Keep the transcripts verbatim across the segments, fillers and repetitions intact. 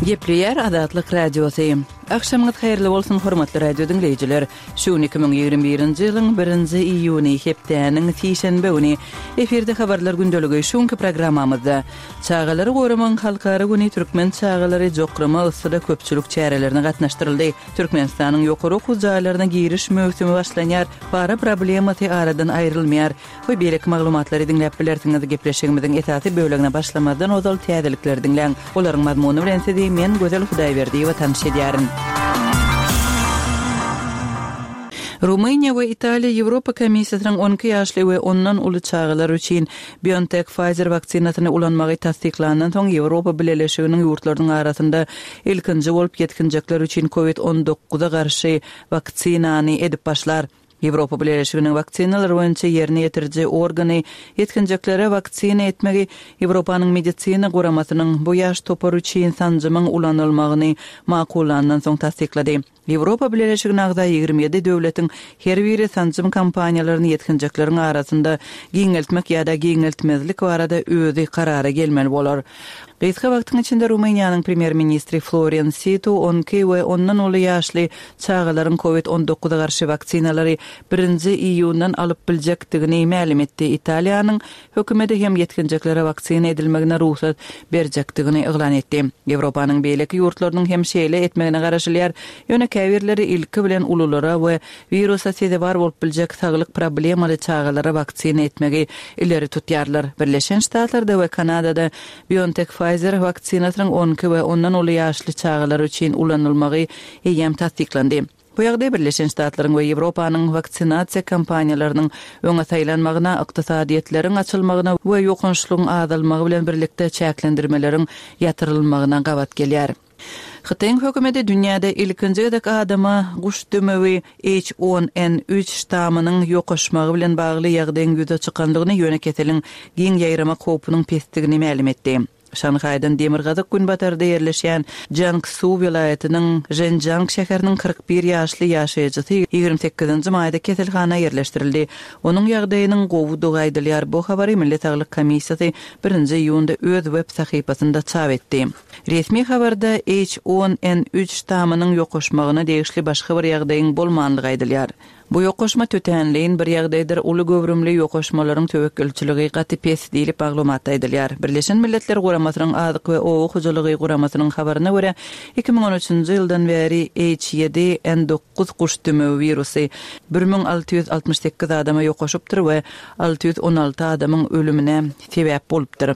Gepleýär Azatlyk Radiosy. Agşamyňyz haýyrly bolsun, hormatly radio diňleýjiler. Şu gün iki müň ýigrimi birinji ýylyň birinji iýuny, hepdäniň sişenbe güni. Efirde habarlar gündeligi. Şu günki programmamyzda Çagalary goramagyň halkara güni türkmen çagalary jokrama yssyda köpçülik çärelerine gatnaşdyryldy. Türkmenistanyň ýokary okuw jaýlaryna giriş möwsümi başlanýar, para problemasy aradan aýrylmaýar we beýleki maglumatlary diňläp bilersiňiz. Gepleşigimiziň esasy bölegine başlamazdan ozal täzelikleri diňläň. Olaryň mazmuny bilen sizi men Gözel Hudaýberdiýewa tanyş edýärin. Rumyniýa we Italiýa Ýewropa Komissiýasynyň on iki ýaşly we ondan uly çagalar üçin BioNTech-Pfizer waksinasyny ulanmagy tassyklandan soň Ýewropa Bileleşiginiň ýurtlarynyň arasynda ilkinji bolup ýetginjekler üçin covid on dokuza garşy waksinany edip başlar. Ýewropa Bileleşiginiň waksinalar boýunça ýerine ýetiriji organy ýetginjeklere waksina etmegi Ýewropanyň medisina guramasynyň bu ýaş topary üçin sanjymyň ulanylmagyny makullandan soň tassyklady. Ýewropa Bileleşigine agza ýigrimi ýedi döwletiň her biri sanjym kampaniýalaryny ýetginjekleriň arasynda giňeltmek ýa-da giňeltmezlik barada özi karara gelmeli bolar. Gysga wagtyň içinde Rumyniýanyň premýer-ministri Florian Situ on iki we ondan uly ýaşly çagalaryň covid on dokuza garşy waksinalary birinji iýundan alyp biljekdigini mälim etdi. Italiýanyň hökümeti hem ýetginjeklere waksina edilmegine rugsat berjekdigini yglan etdi. Ýewropanyň beýleki ýurtlarynyň hem şeýle etmegine garaşylýar, ýöne käbirleri ilki bilen ululara we wirusa sezewar bolup biljek saglyk problemaly çagalara waksina etmegi ileri tutýarlar. Birleşen Ştatlarda we Kanadada BioNTech-Pfizer waksinasynyň on iki we ondan uly ýaşly çagalar üçin ulanylmagy eýýäm tassyklandy. Bu ýagdaý Birleşen Ştatlaryň we Ýewropanyň waksinasiýa kampaniýalarynyň öňe saýlanmagyna, ykdysadyýetleriň açylmagyna we ýokançlygyň azalmagy bilen birlikde çäklendirmeleriň ýatyrylmagyna gabat gelýär. Hytaýyň hökümeti dünýäde ilkinji gezek adama guş dümewi H on N üç ştamynyň ýokaşmagy bilen bagly ýagdaýyň ýüze çykandygyny, ýöne keseliň giň ýaýramak howpunyň pesdigini mälim etdi. Şanhaýdan demirgazyk günbatarda ýerleşýän Jiangsu welaýatynyň Zhenjiang şäheriniň kyrk bir ýaşly ýaşaýjysy ýigrimi sekizinji maýda keselhana ýerleşdirildi. Onuň ýagdaýynyň gowudygy aýdylýar. Bu habary Milli saglyk komissiýasy birinji iýunda öz web sahypasynda çap etdi. Resmi habarda H on N üç ştamynyň ýokaşmagyna degişli başga bir ýagdaýyň bolmanlygy aýdylýar. Bu ýokaşma tötänleýin bir ýagdaýdyr, uly göwrümli ýokaşmalaryň töwekgelçiligi gaty pes diýlip maglumatda aýdylýar. Birleşen Milletler Guramasynyň Azyk we Oba hojalygy guramasynyň habaryna görä, iki müň on üçünji ýyldan bäri H ýedi N dokuz guş dümewi wirusy bir müň alty ýüz altmyş sekiz adama ýokaşypdyr we alty ýüz on alty adamyň ölümine sebäp bolupdyr.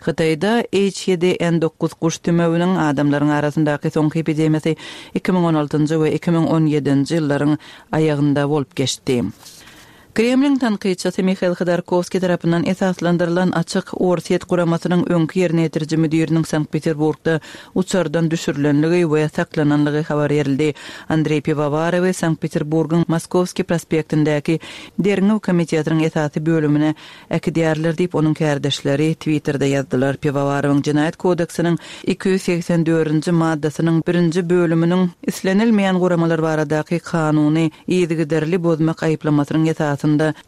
Hytaýda H ýedi N dokuz guş dümewiniň adamlaryň arasyndaky soňky epidemiýasy iki müň on altynjy we iki müň on ýedinji ýyllaryň aýagynda bolup geçdi. Kremliň tankytçysy Mihail Hodorkowskiý tarapyndan esaslandyrylan Açyk Orsýet guramasynyň öňki ýerine ýetiriji müdiriniň Sankt-Peterburgda uçardan düşürilenligi we saklananlygy habar berildi. Andreý Piwowarowy Sankt-Peterburgyň Moskowskiý prospektindäki Derňew komitetiniň esasy bölümine äkidýärler diýip, onuň kärdeşleri Twitterде ýazdylar. Piwowarowyň Jenaýat kodeksiniň iki ýüz segsen dördünji maddasynyň birinji bölüminiň islenilmeýän guramalar baradaky kanuny yzygiderli bozmak aýyplamasynyň esasynda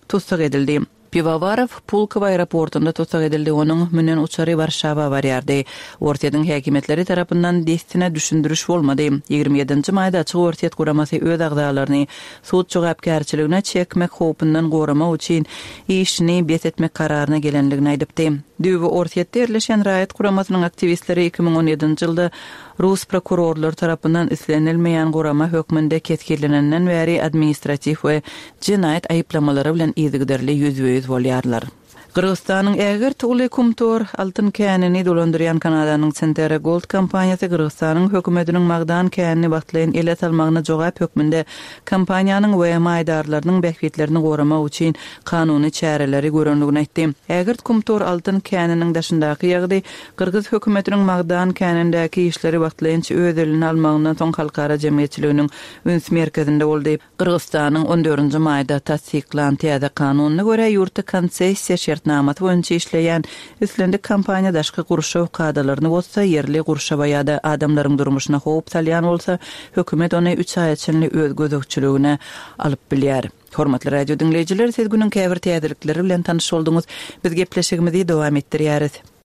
tussag edildi. Piwowarow Pulkowo aeroportunda tussag edildi. Onuň münen uçary Warşawa barýardy. Orsýetiň häkimiýetleri tarapyndan dessine düşündiriş bolmady. Ýigrimi ýedinji maýda Açyk Orsýet guramasy öz agzalaryny sud jogapkärçiligine çekmek howpundan goramak üçin işini bes etmek kararyna gelenligini aýdypdy. Düýbi Orsýetde ýerleşen raýat guramasynyň aktiwistleri iki müň on ýedinji ýylda Rus prokurorlar tarapyndan islenilmeýän gurama hökmünde kesgirlenenden bäri administratiw we jenaýat aýyplamalary bilen yzygiderli ýüzbe-ýüz bolýarlar. Gyrgyzystanyň ägirt uly Kumtor altyn känini dolandyrýan Kanadanyň Centerra Gold kompaniýasy Gyrgyzystanyň hökümetiniň magdan känini wagtlaýyn ele salmagyna jogap hökmünde kompaniýanyň we maýdarlarynyň bähbitlerini goramak üçin kanuny çäreleri görenligini aýtdy. Ägirt Kumtor altyn käniniň daşyndaky ýagdaý Gyrgyz hökümetiniň magdan känindäki işleri wagtlaýynça öz eline almagyndan soň halkara jemgyýetçiliginiň üns merkezinde boldy. Gyrgyzystanyň on dördünji maýda tassyklan täze kanunyna görä ýurtda konsessiýa şertnamasy boýunça işleýän islendik kompaniýa daşky gurşaw kadalaryny bozsa, ýerli gurşawa ýa-da adamlaryň durmuşyna howp salýan bolsa, hökümet ony üç aýa çenli öz gözegçiligine alyp bilýär. Hormatly radio diňleýjiler, siz günüň käbir täzelikleri bilen tanyş bolduňyz. Biz gepleşigimizi dowam etdirýäris.